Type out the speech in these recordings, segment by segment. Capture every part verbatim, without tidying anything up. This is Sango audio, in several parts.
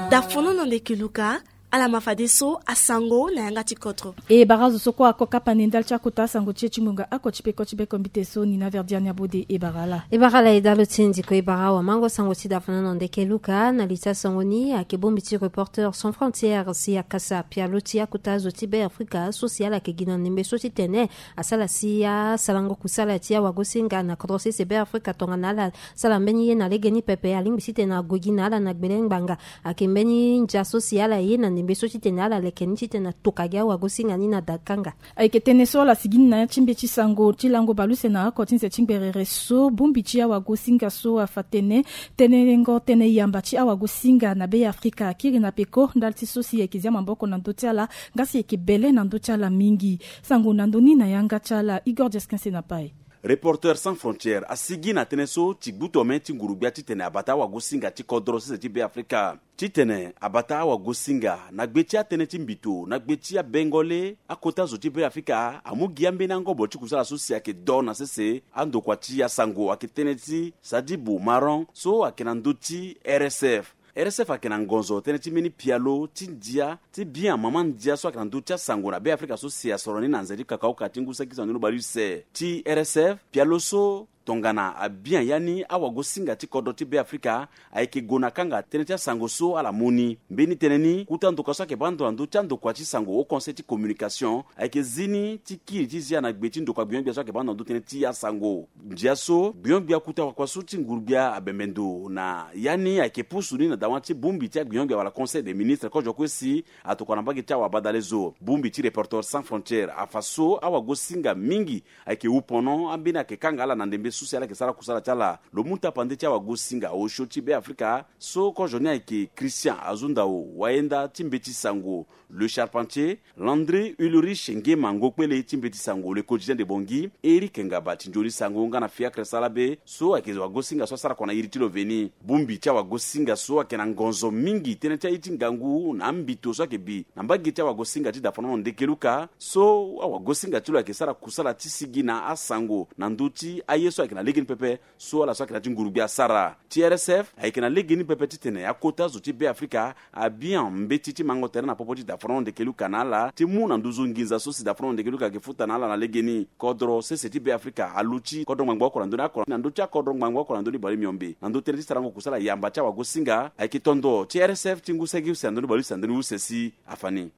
Dafono na ndeke luka. Ala ma fadeso asango na yanga ti kodro. E bara azo so kue ako kapa na e ndali ti akota asango ti e ti ngonga oko ti peko ti beko mbite so ni na verdiani abode e bara ala. E bara ala e dalo ti e ndiko e bara awamango sango ti dafono na ndeke luka na li ti asango ni ayeke bongbi ti Reporters sans frontières si akasa pialo ti akota azo ti be afrika so si ala yeke gi na ndembe so ti tene asara si asarango kusala ti awagosinga na kodro sese be afrika tongana ala sara mbeni ye na legeni pepe alingbi titene ague gi na ala na gbele ngbanga. Ayeke mbeni ndia so si ala ye na ndembe so titene ala leke ni titene atoka gi awagosinga ni na dakanga. Ayeke tënë so ala sigi ni na ya ti mbeti sango ti lango baleuse na oko ti nze ti ngberere so bongbi ti awagosinga so afa tënë tënë lengo tënë yamba ti awagosinga na be afrika akiri na peko ndali ti so si ayeke zia maboko na ndö ti ala nga si ayeke bele na ndö ti ala mingi. Sango na ndö ni na yanga ti ala igor diaskense na pai. Reporters sans frontières asigi na tënë so ti gbu tome ti nguru-gbia titene abata awagosinga ti kodro sese ti be afrika titene abata awagosinga na gbe ti atënë ti mbito na gbe ti abengole akota zo ti be afrika amu gi ambeni angobo ti kusala so si ayeke do na sese andokua ti asango ayeke tënë ti sadibu maron so ayeke na ndö ti rsf. Rsf ayeke na ngonzo tënë ti mbeni pialo ti ndia ti bien mama ndia so ayeke na ndö ti asango na be afrika so si asoro ni na nze ti kakaoka ti ngu saki sango ni lo baleuse ti rsf pialo so tongana abian ya ni awagosinga ti kodro ti be afrika ayeke gue na kanga tënë ti asango so ala mu ni mbeni tënë ni kuta ndoka so ayeke baa ndo na ndö ti andokua ti sango au conseil ti communication ayeke zi ni ti kiri ti zia na gbe ti ndokua gbiongbia so ayeke baa ndo na ndö tënë ti asango. Ndia so gbiongbia kuta wakua so ti nguru-gbia abembe ndo na ya ni ayeke pusu ni na dawa ti bongbi ti agbiongbia wala conseil des ministres kozo kue si atokua na mbage ti awabadale zo bongbi ti reporters sans frontières afa so awagosinga mingi ayeke wu pono ambeni ayeke kanga ala na ndembe so si ala yeke sara kusala ti ala. Lo mu tapande ti awagosinga osio ti be afrika so kozo ni ayeke christian azundao wayenda ti mbeti sango le charpentier landry ulrich ngema ngokpele ti mbeti sango le quotidien de bongi eric ngaba ti nzoni sango nga na fiacre sala be so ayeke wagosinga so asara kua na iri ti lo veni. Bongbi ti awagosinga so ayeke na ngonzo mingi tënë ti aye ti ngangu na ambito so ayeke bi na mbage ti awagosinga ti dafonono ndeke luka so awagosinga ti lo ayeke sara kusala ti sigi na asango na ndö ti aye so ayeke na legeni pepe so ala so ayeke na ya ti ngurugbi asara. Ti rsf ayeke na legeni pepe titene akota zo ti be afrika abian mbeti ti mango tere na popo ti dafonono ndeke luka na ala ti mu na nduzu nginza so si dafonono ndeke luka ayeke futa na ala na legeni. Kodro sese ti be afrika aluti kodro ngbangbo oko na ndö ni ako na ndö ti akodro ngbangbo oko na ndö ni bale miombe na ndö tënë ti sarango kusala yamba ti awagosinga ayeke tondo ti rsf ti ngu sege use na ndö ni bale use na ndö ni use si afa ni.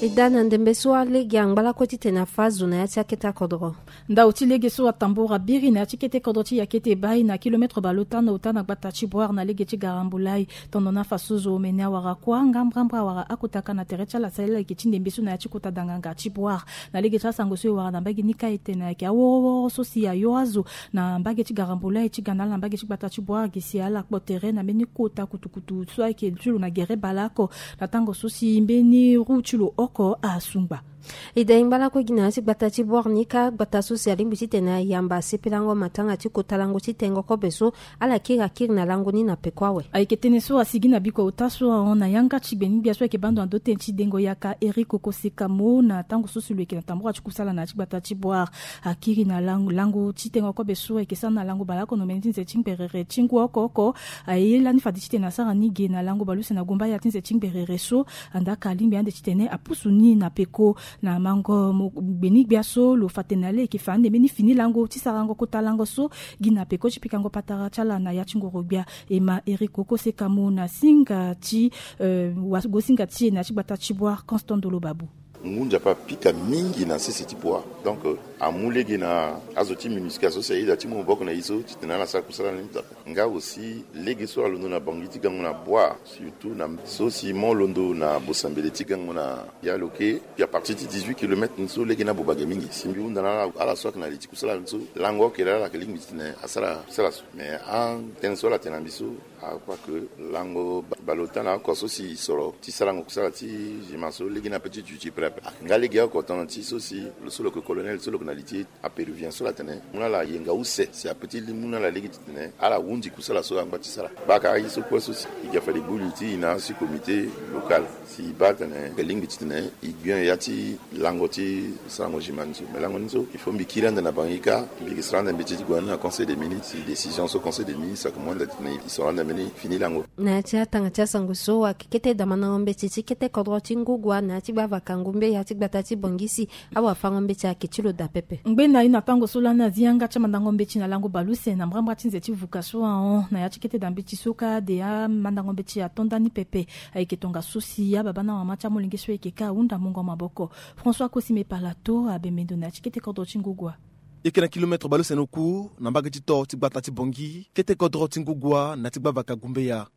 E daa na ndembe so alege angba lakue titene afa azo na ya ti akete akodro. Ndau ti lege so atambura biri na ya ti kete kodro ti yakete bai na kilometre baleota na ota na gbata ti boire na lege ti garambulai. Tongana afa so zo omene awara kuâ nga mbrambra awara akotaka na tere ti ala si ala yeke ti ndembe so na ya ti kota danganga ti boire. Na lege ti asango so e wara na mbage ni ka e tene ayeke aworo woro so si ayo azo na mbage ti garambulai ti ga na ala na mbage ti gbata ti boire gi si ala kpo tere na mbeni kota kutukutu so ayeke ti lo na gere baleoko na tango so si mbeni roue ti lo oko asungba. E da e ngba lakue gi na ya ti gbata ti boire ni ka gbata so si alingbi titene ayamba asepelango matanga ti kota lango ti tengo kobe so ala kiri akiri na lango ni na peko awe. Ayeke tënë so asigi na biko ota so ahon na yanga ti gbeni-gbia so ayeke baa ndo na ndö tënë ti dengo yaka eric okoseka mo na tango so si lo yeke na tambura ti kusala na ya ti gbata ti boire. Akiri na lango ti tengo kobe so ayeke sara na lango baleoko na omene ti nze ti ngberere ti ngu oko oko. Aye lani fade titene asara ni ge na lango baleuse na gumba ya ti nze ti ngberere so. Andaka alingbi ande titene apusu ni na peko na mango gbeni-gbia so lo fa tene na le ayeke fa ande mbeni fini lango ti sarango kota lango so gi na peko ti pikango patara ti ala na ya ti ngoro-gbia. E ma eric okoseka mo na singa ti wagosinga ti e na ya ti gbata ti boire constant ndolo babu. Ngu nzapa apika mingi na sese ti boire donc amu lege na azo ti minusca so si aye daa ti mu maboko na ye so titene ala sara kusala ni. Nga aussi lege so alondo na bangi ti gango na boire surtout na so si mo londo na bosambele ti gango na ya loke. Puis à partir ti dix-huit kilomètres ni so lege ni abobage mingi si mbi hunda na ala so ayeke na li ti kusala ni so lango okele ala ayeke lingbi titene asara kusala so mais atënë so ala tene na mbi so akrois ke lango baleota na oko so si soro ti sarango kusala ti gima so lege ni ape ti duti prêt. Nga lege oko tongana ti so si lo so lo yeke colonel so lo yeke na li ti apéruvien so la tene mu na ala yenga use si ape ti li mu na ala lege titene ala hundi kusala so angba ti sara. Baka aye so kue so si e ga fade gbu li ti e na asi comité local si e baa tene e lingbi titene e gbio ya ti lango ti sarango gimane so. Me lango ni so il faut mbi kiri ande na bangi kâ, mbi yeke sara ande mbeti ti gue na ni na conseil des ministres si décision so conseil des ministres ayeke mu ande titene e sara ande mbeni fini lango. Na ya ti atanga ti asango so ayeke kete damandango mbeti ti kete kodro ti ngugua na ya ti gbavaka ngumbe ya ti gbata ti bongi si awafango mbeti ayeke ti lo daa pepe. Ngbene na ye na tango so lani azi yanga ti amandango mbeti na lango baleuse na mbrambra ti nze ti vuka so ahon na ya ti kete daa mbeti so kâ de amandango mbeti ato ndani pepe. Ayeke tongaso si ababa na mama ti amolenge so ayeke kâ ahunda mungo maboko. François Kosime Palato abembe ndo na ya ti kete kodro ti ngugua. E yeke na kilometre baleuse na oku na mbage ti to ti gbata ti bongi kete kodro ti ngugua na ya ti gbavaka gumbeya.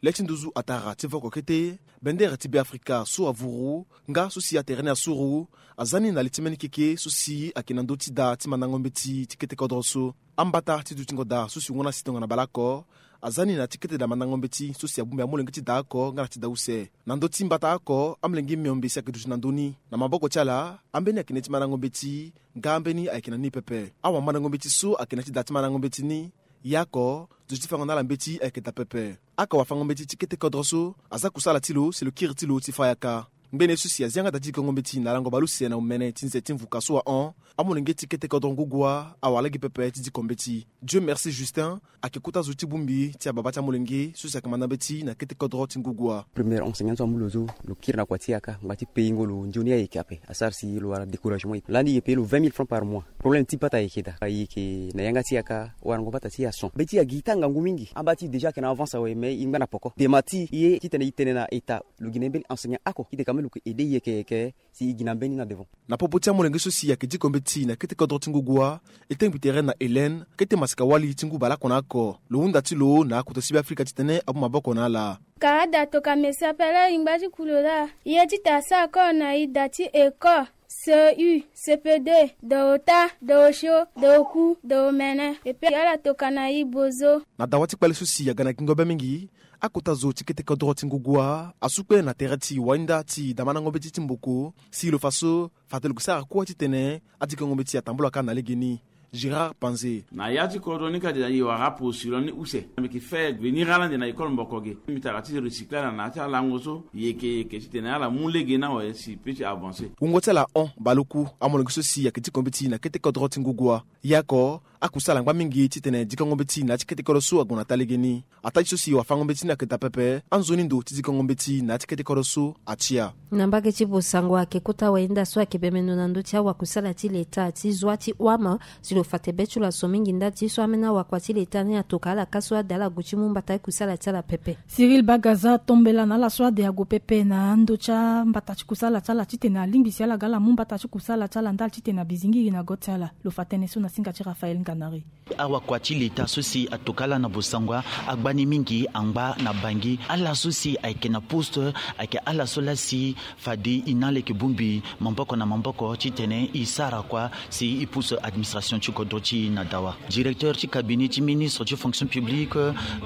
Le ti nduzu atara ti voko kete bendere ti Beafrika so avuru nga so si atere ni asuru aza ni na li ti mbeni keke so si ayeke na ndö ti daa ti mandango mbeti ti kete kodro so. Ambata ti dutingo daa so si wungo na si tongana baleoko aza ni na ti kete daa mandango mbeti so si abongbi amolenge ti daa oko nga na ti daa use. Na ndö ti mbata oko amolenge miombe si ayeke duti na ndö ni na maboko ti ala ambeni ayeke na ya ti mandango mbeti nga ambeni ayeke na ni pepe. Awamandango mbeti so ayeke na ya ti daa ti mandango mbeti ni, ye oko duti ti fango na ala mbeti ayeke daa pepe. Aka wafango mbeti ti kete kodro so aza kusala ti lo si lo kiri ti lo ti fa yaka. Ngbene so si azi yanga daa ti dikongo mbeti na lango baleuse na omene ti nze ti mvuka so ahon, amolenge ti kete kodro ngugua awara lege pepe ti diko mbeti. Dieu merci Justin ayeke kota zo ti bongbi ti ababa ti amolenge so si ayeke manda mbeti na kete kodro ti ngugua. Premier enseignant so amu lo so lo kiri na kua ti yaka ngba ti payingo lo nzoni ayeke ape asara si lo wara découragement. Lani e yeke paye lo vingt mille francs par mois. Problème ti pata ayeke daa ayeke na yanga ti yaka warango pata ti ason be ti agi ti angangu mingi amba ti déjà ayeke na avance awe mais e ngba na poko dema ti e ye titene e tene na état. Lo gi na ye mbeni enseignant oko titene quand même lo yeke aidé e yeke yeke si e gi na mbeni na devant. Na popo ti amolenge so si ayeke diko mbeti na kete kodro ti ngugua e tengbi tere na Hélène kete masika wali ti ngu baleoko na oko lo hunda ti lo na akota ti Beafrika titene amu maboko na ala. Ka ada toka mesi apele e ngba ti kulo laa. Ye ti ta sa oko na e da ti école, C U, C P deux, da ota, da osio, da oku, da omene. E pe ala toka na e bozo. Na dawa ti kpale so si aga na gingo be mingi, akota zo ti kete kodro ti ngugua asu kpe na tere ti wainda ti damandango mbeti ti mboko si lo fa so fade lo ke sara kue titene adikongo mbeti atambula kâ na legeni. Gérard Panze. Na ya ti kodro ni kade e wara apo si lo ni use. Mbi yeke fait venir ala ande na école mboko ge. Mbi tara ti recycler ala na ya ti alango so. Yeke yeke titene ala mu lege ni awe si e pe ti avancer. Wungo ti ala hon baleoku amolenge so si ayeke diko mbeti na kete kodro ti ngugua. Ye oko akusala angba mingi titene dikongo mbeti na ya ti kete kodro so ague na taa legeni. Ataa ti so si wafango mbeti ni ayeke daa pepe anzoni ndo ti dikongo mbeti na ya ti kete kodro so atia. Na mbage ti bosango ayeke kota wayenda so ayeke bembe ndo na ndö ti awakusala ti leta ti zwa ti huama si lo fa te be ti lo aso mingi ndali ti so ambeni awakua ti leta ni atoka ala kâ so ade ala gue ti mu mbata ti kusala ti ala pepe. Cyril Bagaza atombela na ala so ade ague pepe na ndö ti ambata ti kusala ti ala titene alingbi si ala ga ala mu mbata ti kusala ti ala ndali titene abizingiri na go ti ala. Lo fa tënë so na singa ti Raphaël Nganari. Awakua ti leta so si atoka ala na bosango agba ni mingi angba na bangi ala so si ayeke na poste ayeke ala so laa si fade e na ala yeke bongbi maboko na maboko titene e sara kua si e pousse administration ti kodro ti e na dawa. Directeur ti cabinet ti ministre ti fonction publique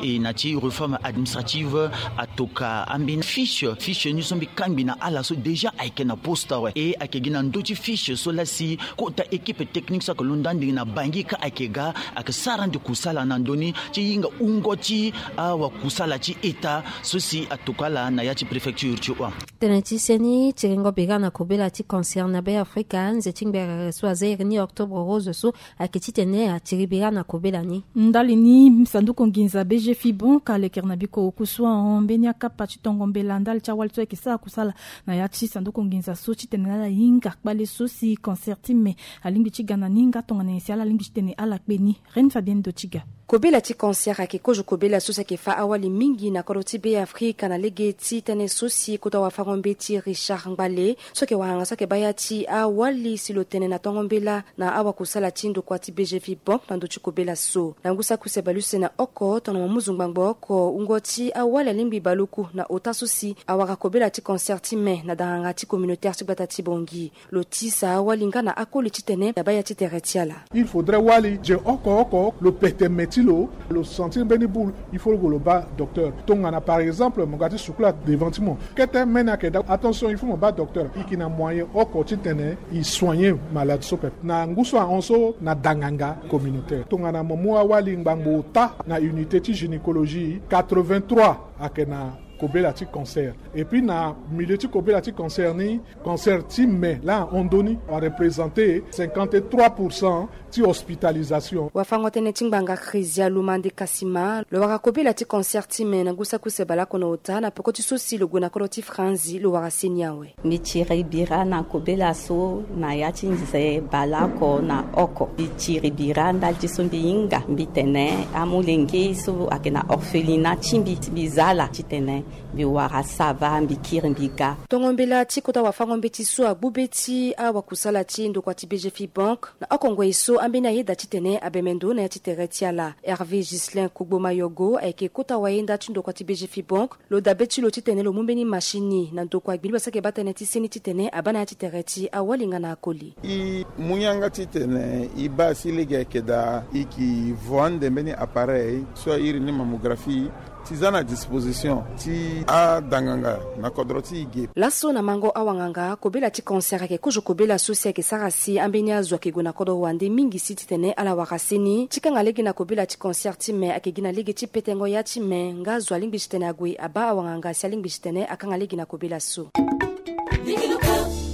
e na ti réforme administrative atoka ambeni fiche fiche ni so mbi kangbi na ala so déjà ayeke na poste awe e ayeke gi na ndö ti fiche so laa si kota équipe technique so ayeke londo ande na bangi kâ ayeke ga ayeke sara ande kusala na ndö ni ti hinga wungo ti awakusala ti état so si atoka ala na ya ti préfecture ti huama. Tënë ti seni tiringo bira na kobela ti cancer na Beafrika nze ti ngberere so aza iri ni octobre rose so ayeke titene atiri bira na kobela ni. Ndali ni sanduku nginza B G Fibon ka lekere na biko oku so ahon mbeni akapa ti tongo mbela ndali ti awali so ayeke sara kusala na ya ti sanduku nginza so titene ala hinga kpale so si cancer ti me alingbi ti ga na ni nga tongana nyen si ala lingbi titene ala kpe ni. Reine Fabienne Dotiga. Kobela ti cancer ayeke kozo kobela so si ayeke fâ awali mingi na kodro ti Be Afrika na lege ti tënë so si kota wafango-mbeti Richard Ngbale so ayeke wanganga so ayeke baa ya ti awali si lo tene na tongo mbela na awakusala ti ndokua ti B G F Bank na ndö ti kobela so. Na ngu saki use baleuse na oko tongana mo mu zo ngbangbo oko wungo ti awali alingbi baleoku na ota so si awara kobela ti cancer ti me na danganga ti communautaire ti gbata ti Bangui. Lo tisa awali nga na akoli titene abaa ya ti tere ti ala. Il faudrait wali je oko oko lo pete me ti lo, lo sentir mbeni boule, il faut lo baa docteur. Tongana par exemple mo ga ti sukula devant ti mo, kete mene ayeke daa, attention, il faut mo baa docteur. E yeke na moyen oko titene e soigner malade so pepe. Na ngu so ahon so na danganga communautaire. Tongana mo mu awali ngbangbo ota na unité ti gynécologie, quatre-vingt-trois ayeke na kobela ti cancer. Et puis na milieu ti kobela ti cancer ni, cancer ti me laa ahon ndö ni areprésenter cinquante-trois pour cent ti hospitalisation. Wafango-tënë ti ngbanga Chrésia Lumande Kasima lo wara kobela ti cancer ti me na ngu saki use baleoko na ota na peko ti so si lo gue na kodro ti Franzi lo wara seni awe. Mbi tiri bira na kobela so na ya ti nze baleoko na oko. Mbi tiri bira ndali ti so mbi hinga, mbi tene amolenge so ayeke na orphelinat ti mbi, mbi za ala titene mbi wara sava, mbi kiri, mbi ga. Tongo mbela ti kota wafango-mbeti so agbu be ti awakusala ti ndokua ti B G F Bank na oko ngoi so ambeni ayeda titene abembe ndo na ya ti tere ti ala. Hervé Ghislain Kogbo Mayogo ayeke kota wayenda ti ndokua ti B G F Bank. Lo dabe ti lo titene lo mu mbeni machine na ndokua gbini basa ayeke baa tënë ti seni titene abaa na ya ti tere ti awali nga na akoli. E mu yanga titene e baa si lege ayeke daa, e yeke vo ande mbeni appareil so a iri ni mammographie ti za na disposition ti adanganga na kodro ti e ge. Laso na mango awanganga, kobela ti cancer ayeke kozo kobela so si ayeke sara si ambeni azo ayeke gue na kodro wande mingi si titene ala wara seni ti kanga lege na kobela ti cancer ti me ayeke gi na lege ti petengo ya ti me nga azo alingbi titene ague abaa awanganga si alingbi titene akanga lege na kobela so.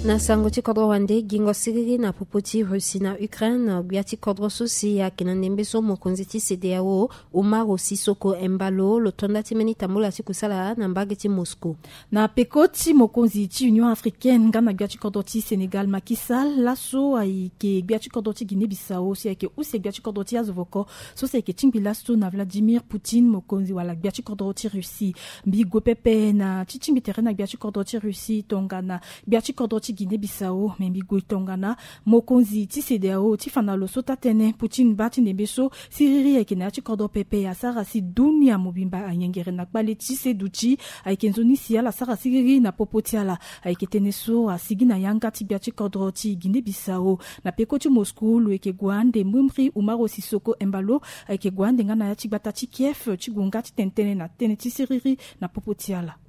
Na sango ti kodro wande, gingo siriri na popo ti Russie na Ukraine, gbia ti kodro so si ayeke na ndembe so mokonzi ti CEDEAO, Umaro Sissoco Embalo, lo to nda ti mbeni tambula ti kusala na mbage ti Moscou. Na peko ti mokonzi ti Union africaine nga na gbia ti kodro ti Sénégal Macky Sall, laso ayeke gbia ti kodro ti Guinée Bissau si ayeke use gbia ti kodro ti azo voko so si ayeke tingbi laso na Vladimir Poutine, mokonzi wala gbia ti kodro ti Russie. Mbi gue pepe na ti tingbi tere na gbia ti kodro ti Russie tongana gbia ti kodro ti Guinée Bissau, me mbi gue tongana mokonzi ti CEDEAO ti fa na lo so taa-tënë Poutine baa ti ndembe so siriri ayeke na ya ti kodro pepe asara si dunia mobimba ayengere na kpale ti se duti. Ayeke nzoni si ala sara siriri na popo ti ala. Ayeke tënë so asigi na yanga ti gbia ti kodro ti Guinée Bissau. Na peko ti Moscou lo yeke gue ande mbirimbiri Umaro Sissoco Embalo, ayeke gue ande nga na ya ti gbata ti Kiev ti gue nga ti tene tënë na tënë ti siriri na popo ti ala.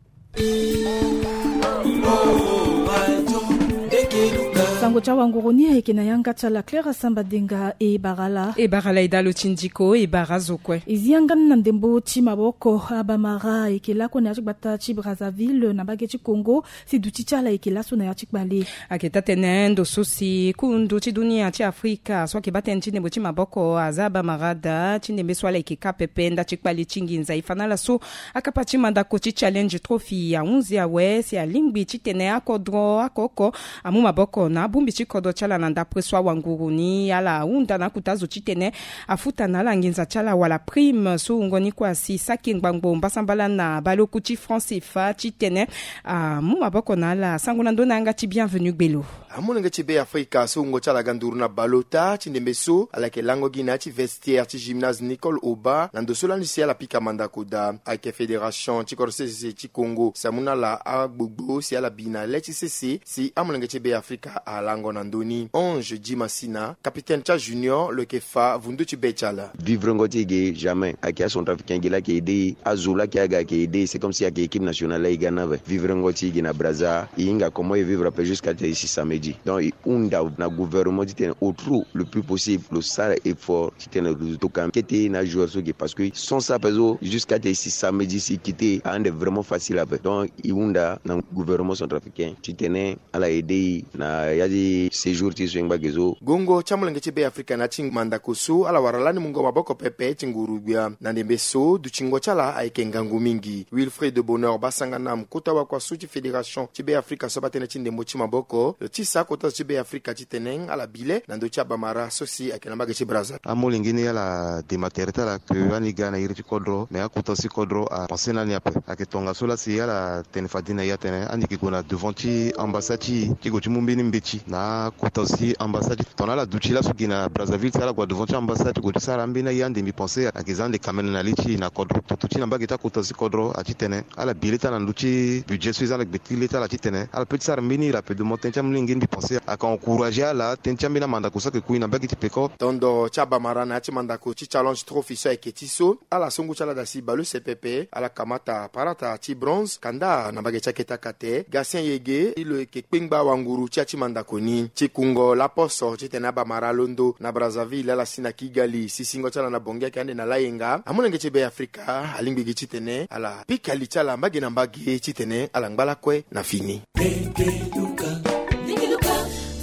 Sango ti awanguru ni ayeke na yanga ti ala Clara Samba Denga. E bara ala. E bara ala e dalo ti ndiko, e bara azo kue. E zi yanga ni na ndembo ti maboko. Abamara ayeke lakue na ya ti gbata ti Brazzaville na mbage ti Congo. Si duti ti ala ayeke laso na ya ti kpale. Ayeke taa-tënë ndo so si kundu ti dunia ti Afrika so ayeke baa tënë ti ndembo ti maboko aza abamara daa ti ndembe so ala yeke ka pepe nda ti kpale ti nginza. E fa na ala so akapa ti mandako ti Challenge Trophy ahunzi awe si alingbi titene akodro oko oko amu maboko na abongbi ti kodro ti ala na ndapre so awanguru ni. Ala ahunda na akota zo titene afuta na ala nginza ti ala wala prime so wungo ni kue asi saki ngbangbo mbasambala na baleoku ti franc CFA titene amu maboko na ala. Sango na ndö na yanga ti Bienvenu Gbelo. Amolenge ti Be Afrika so wungo ti ala ga nduru na bale ota ti ndembe so ala yeke lango gi na ya ti vestiaire ti gymnase Nicole Oba na ndo so lani si ala pika mandako daa. Ayeke fédération ti kodro sese ti Congo si amu na ala agbogbo si ala bi na le ti sese si amolenge ti Be Afrika alango na ndö ni. Ange Dimasina, capitaine ti ajunior, lo yeke fa vundu ti be ti ala. Vivrengo ti e ge jamais. Ayeke acentrafricain ge laa ayeke aidé e, azo laa ayeke aga ayeke aidé e, c'est comme si ayeke équipe nationale laa e ga ni awe. Vivrengo ti e ge na Brazza, e hinga comment e vivre ape jusqu'à tene e si samedi. Donc e hunda na gouvernement titene au trop le plus possible lo sara effort titene lo tokua kete na ajoueur so ge, parce que sans ça ape so jusqu'à tene e si samedi si e quitté, ahon nde vraiment facile ape. Donc e hunda na gouvernement centrafricain titene ala aidé e na ya ti ti séjour ti so e ngba ge so. Gongo ti amolenge ti Be Afrika na ya ti mandako so ala wara lani mungo maboko pepe ti nguru gbia na ndembe so dutingo ti ala ayeke ngangu mingi. Wilfried Bonheur Basanganam, kota wakua so ti fédération ti Be Afrika so abaa tënë ti ndembo ti maboko, lo tisa akota zo ti Be Afrika titene ala bi le na ndö ti abamara so si ayeke na mbage ti Brazza. Amolenge ni ala dema tere ti ala ke ani ga na iri ti kodro, mais akota zo ti kodro apense na ni ape. Ayeke tongaso laa si ala tene fade na e atene ani yeke gue na devant ti ambassade ti e ti gue ti mu mbeni mbeti na akota zo ti ambassade ti e. Tongana ala duti laso gi na Brazzaville si ala gue na devant ti ambassade ti gue ti sara ambeni aye ande mbi pense ayeke za ande kamene na li ti e na kodro. Toto ti e na mbage ti akota zo ti kodro atitene ala bi leta na ndö ti budget so e za na gbe ti leta ala titene ala peut ti sara mbeni iri ape. Domo tënë ti amolenge ni mbi pense ayeke encourager ala tënë ti ambeni amandako so ayeke kui na mbage ti peko. Tondo ti abamara na ya ti mandako ti Challenge Trophy so ayeke ti so, ala so ngu ti ala dasi baleuse pepe, ala kamata parata ti bronze, kanda na mbage ti akete akate. Gatien Yege, lo yeke kpengba wanguru ti ya ti mandako ni. Ti kungo laposo titene abamara alondo na Brazzaville, ala si na Kigali, sisingo ti ala na Bangui ayeke ande na layenga. Amolenge ti Be Afrika alingbi gi titene ala pika li ti ala mbage na mbage titene ala ngba lakue na fini.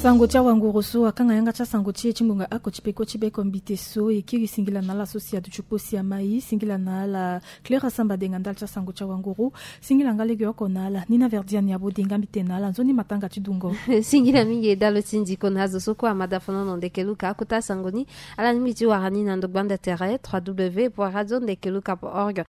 Sango ti awanguru so akanga yanga ti asango ti e ti ngonga oko ti peko ti beko mbite so e kiri singila na ala so si aduti kpo si amai, singila na ala Clara Samba Denga ndali ti asango ti awanguru. Singila nga legeoko na ala Nina Verdiane Abodinga mbite na ala nzoni matanga ti dungo. Singila mingi e dalo ti ndiko na azo so kue amada fonono ndeke luka akota asango ni. Ala lingbi ti wara ni na ndo gbanda tere trois w point radio ndeke luka point org.